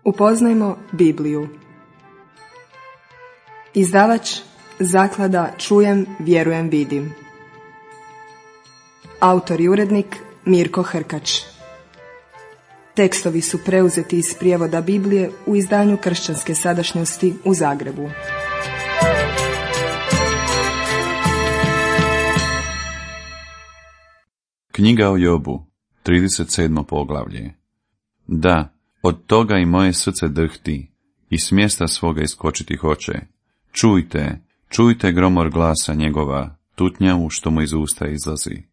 Upoznajmo Bibliju. Izdavač Zaklada Čujem, vjerujem, vidim. Autor i urednik Mirko Hrkač. Tekstovi su preuzeti iz prijevoda Biblije u izdanju Kršćanske sadašnjosti u Zagrebu. Knjiga o Jobu, 37. poglavlje. Da, od toga i moje srce drhti, i s mjesta svoga iskočiti hoće. Čujte gromor glasa njegova, tutnjavu što mu iz usta izlazi.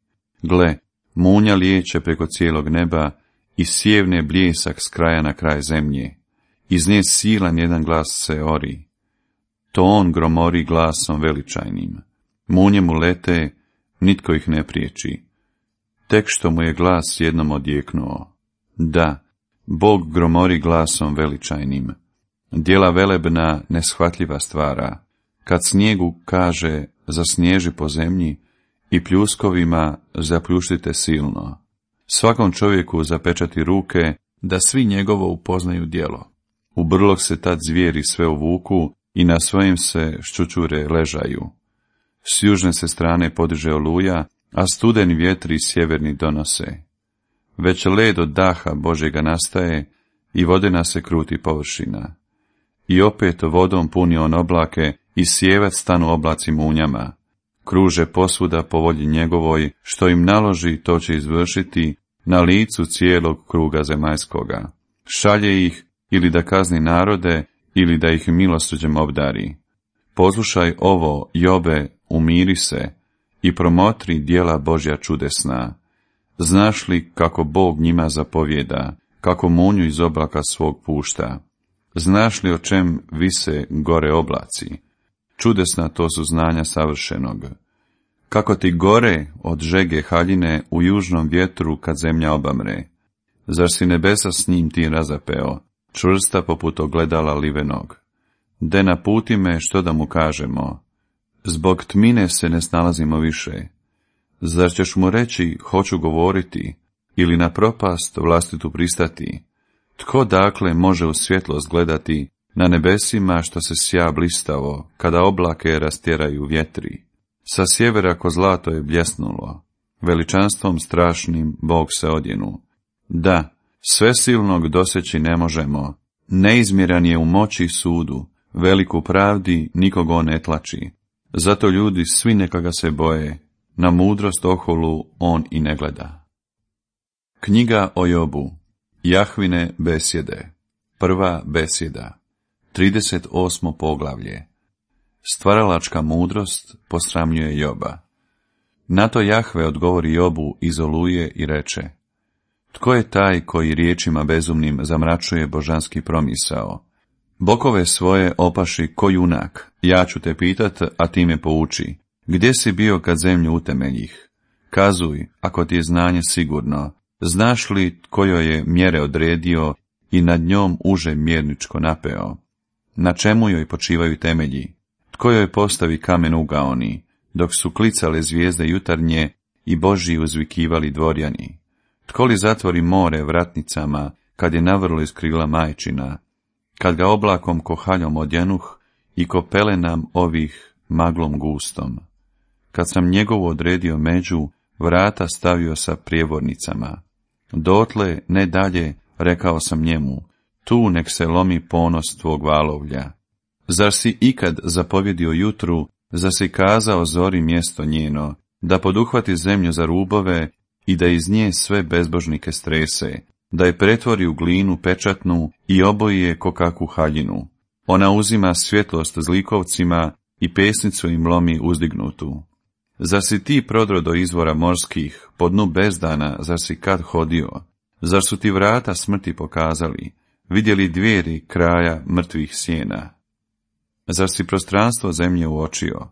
Gle, munja lijeće preko cijelog neba i sjevne bljesak s kraja na kraj zemlje. Iz nje silan jedan glas se ori. To on gromori glasom veličajnim. Munje mu lete, nitko ih ne priječi. Tek što mu je glas jednom odjeknuo. Da, Bog gromori glasom veličajnim. Djela velebna neshvatljiva stvara. Kad snijegu kaže zasnježi po zemlji i pljuskovima zapljuštite silno. Svakom čovjeku zapečati ruke da svi njegovo upoznaju djelo. U brlog se tad zvijeri sve uvuku i na svojim se ščučure ležaju. S južne se strane podiže oluja, a studeni vjetri sjeverni donose. Već led od daha Božjega nastaje i vodena se kruti površina. I opet vodom puni on oblake i sjevac stanu oblaci munjama. Kruže posvuda po volji njegovoj, što im naloži to će izvršiti na licu cijelog kruga zemaljskoga. Šalje ih ili da kazni narode ili da ih milosrđem obdari. Poslušaj ovo, Jobe, umiri se i promotri djela Božja čudesna. Znaš li kako Bog njima zapovjeda, kako munju iz oblaka svog pušta? Znaš li o čem vise gore oblaci? Čudesna to su znanja savršenog. Kako ti gore od žege haljine u južnom vjetru kad zemlja obamre? Zar si nebesa s njim ti razapeo, čvrsta poput ogledala livenog? De naputi me što da mu kažemo? Zbog tmine se ne snalazimo više. Zar ćeš mu reći, hoću govoriti, ili na propast vlastitu pristati? Tko dakle može u svjetlost gledati na nebesima što se sja blistavo, kada oblake rastjeraju vjetri? Sa sjevera ko zlato je bljesnulo, veličanstvom strašnim Bog se odjenu. Da, svesilnog doseći ne možemo, neizmjeran je u moći i sudu, veliku pravdi nikog on ne tlači. Zato ljudi svi neka ga se boje, na mudrost oholu on i ne gleda. Knjiga o Jobu, Jahvine besjede, prva besjeda, 38. poglavlje. Stvaralačka mudrost posramljuje Joba. Na to Jahve odgovori Jobu iz oluje i reče: Tko je taj koji riječima bezumnim zamračuje božanski promisao? Bokove svoje opaši ko junak, ja ću te pitat, a ti me pouči. Gdje si bio kad zemlju utemeljih? Kazuj, ako ti je znanje sigurno. Znaš li tko joj je mjere odredio i nad njom uže mjerničko napeo? Na čemu joj počivaju temelji? Tko joj postavi kamen ugaoni, dok su klicale zvijezde jutarnje i Božji uzvikivali dvorjani? Tko li zatvori more vratnicama, kad je navrlo iz krila majčina, kad ga oblakom ko haljom odjanuh i ko pelenam ovih maglom gustom? Kad sam njegovu odredio među, vrata stavio sa prijevornicama. Dotle, ne dalje, rekao sam njemu, tu nek se lomi ponos tvog valovlja. Zar si ikad zapovjedio jutru, zar si kazao zori mjesto njeno, da poduhvati zemlju za rubove i da iz nje sve bezbožnike strese, da je pretvori u glinu pečatnu i oboji je ko kakvu haljinu. Ona uzima svjetlost zlikovcima i pesnicu im lomi uzdignutu. Zar si ti prodro do izvora morskih, po dnu bezdana, zar si kad hodio? Zar su ti vrata smrti pokazali, vidjeli dvijeri kraja mrtvih sjena? Zar si prostranstvo zemlje uočio?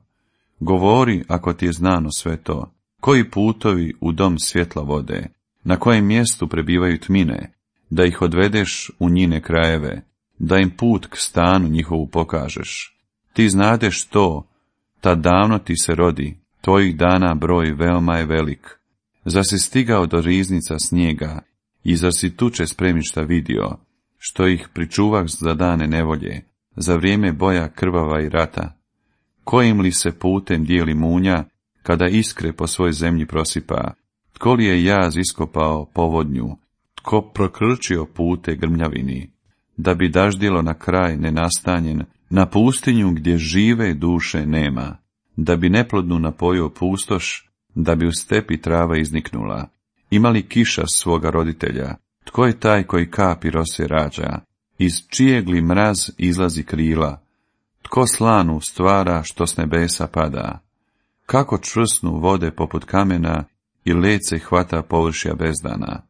Govori, ako ti je znano sve to. Koji putovi u dom svjetla vode? Na kojem mjestu prebivaju tmine? Da ih odvedeš u njine krajeve, da im put k stanu njihovu pokažeš. Ti znadeš to, tad davno ti se rodi, tvojih dana broj veoma je velik. Zar si stigao do riznica snijega i zar si tuče spremišta vidio? što ih pričuvah za dane nevolje, za vrijeme boja krvava i rata? Kojim li se putem dijeli munja, kada iskre po svoj zemlji prosipa? Tko li je jaz iskopao povodnju? Tko prokrčio pute grmljavini? Da bi daždjelo na kraj nenastanjen, na pustinju gdje žive duše nema, da bi neplodnu napojio pustoš, da bi u stepi trava izniknula. Ima li kiša svoga roditelja? Tko je taj koji kapi rose rađa? Iz čijeg li mraz izlazi krila? Tko slanu stvara što s nebesa pada? Kako čvrsnu vode poput kamena i lece hvata površja bezdana?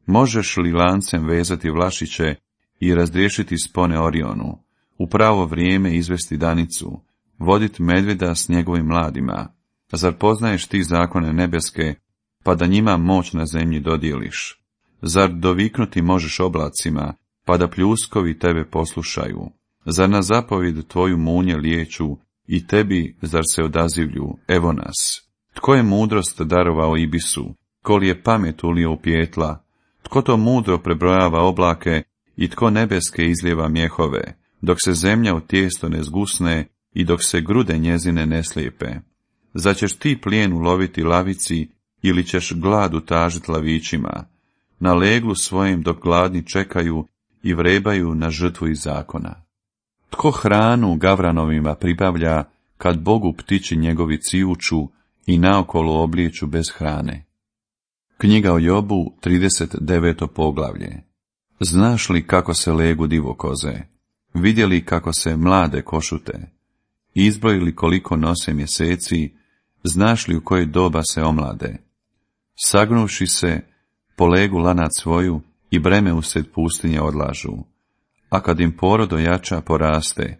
Možeš li lancem vezati vlašiće i razriješiti spone Orionu, u pravo vrijeme izvesti danicu, vodit medvjeda s njegovim mladima? Zar poznaješ ti zakone nebeske, pa da njima moć na zemlji dodijeliš? Zar doviknuti možeš oblacima, pa da pljuskovi tebe poslušaju? Zar na zapovjed tvoju munje liječu i tebi zar se odazivlju, evo nas? Tko je mudrost darovao ibisu, tko li je pamet ulio u pijetla? Tko to mudro prebrojava oblake i tko nebeske izlijeva mjehove, dok se zemlja u tijesto ne zgusne i dok se grude njezine ne slijepe? Zar ćeš ti plijen uloviti lavici ili ćeš glad utažit lavićima, na leglu svojim dok gladni čekaju i vrebaju na žrtvu iz zakona? Tko hranu gavranovima pribavlja, kad Bogu ptići njegovi cijuču i naokolo oblijeću bez hrane? Knjiga o Jobu, 39. poglavlje. Znaš li kako se legu divokoze? Vidjeli kako se mlade košute? Izbrojili koliko nose mjeseci? Znaš li u koje doba se omlade? Sagnuvši se, polegu lanac svoju i breme usred pustinje odlažu. A kad im porod ojača poraste,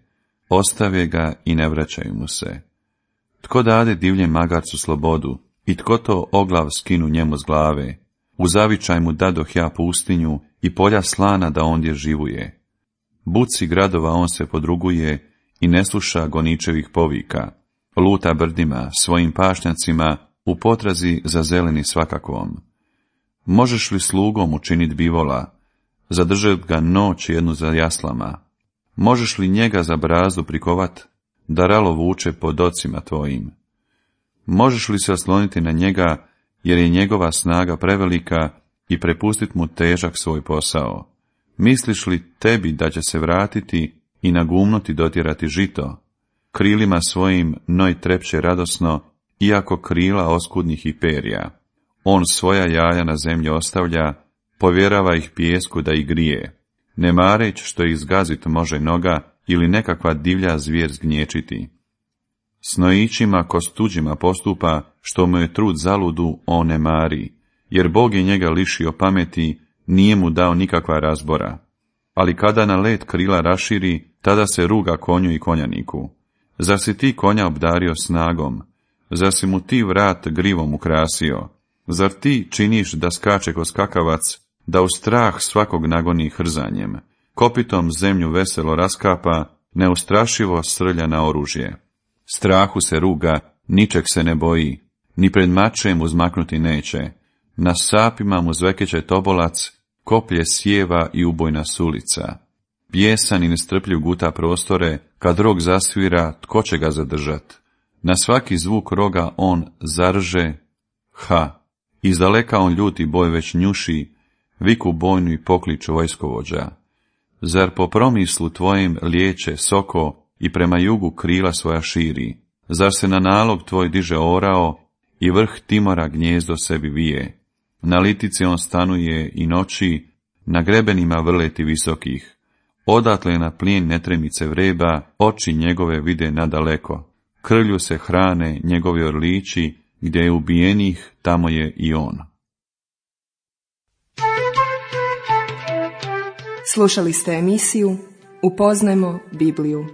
ostave ga i ne vraćaju mu se. Tko dade divljem magarcu slobodu i tko to oglav skinu njemu s glave? U zavičaj mu dadoh ja pustinju i polja slana da ondje živuje. Buci gradova on se podruguje i ne sluša goničevih povika. Luta brdima, svojim pašnjacima, u potrazi za zeleni svakakvom. Možeš li slugom učinit bivola, zadržat ga noć jednu za jaslama? Možeš li njega za brazdu prikovat, da ralo vuče po docima tvojim? Možeš li se osloniti na njega, jer je njegova snaga prevelika, i prepustit mu težak svoj posao? Misliš li tebi da će se vratiti i na gumnuti dotjerati žito? Krilima svojim noj trepće radosno, iako krila oskudnih i perja. On svoja jaja na zemlji ostavlja, povjerava ih pijesku da ih grije, ne mareć što ih zgazit može noga ili nekakva divlja zvijer zgnječiti. S nojićima ko s tuđima postupa, što mu je trud zaludu, on ne mari, jer Bog je njega lišio pameti, nije mu dao nikakva razbora. Ali kada na let krila raširi, tada se ruga konju i konjaniku. Zar si ti konja obdario snagom? Zar si mu ti vrat grivom ukrasio? Zar ti činiš da skače ko skakavac, da u strah svakog nagoni hrzanjem? Kopitom zemlju veselo raskapa, neustrašivo srlja na oružje. Strahu se ruga, ničeg se ne boji, ni pred mačem uzmaknuti neće. Na sapima mu zvekeće tobolac, koplje sjeva i ubojna sulica. Bijesan i nestrpljiv guta prostore, kad rog zasvira, tko će ga zadržat? Na svaki zvuk roga on zarže, ha! Izdaleka on ljuti boj već njuši, viku bojnu i pokliču vojskovođa. Zar po promislu tvojim liječe soko i prema jugu krila svoja širi? Zar se na nalog tvoj diže orao i vrh Timora gnjezdo sebi vije? Na litici on stanuje i noći, na grebenima vrleti visokih. Odatle na plijen netremice vreba, oči njegove vide nadaleko. Krlju se hrane njegovi orlići, gdje je ubijenih, tamo je i on. Slušali ste emisiju Upoznajmo Bibliju.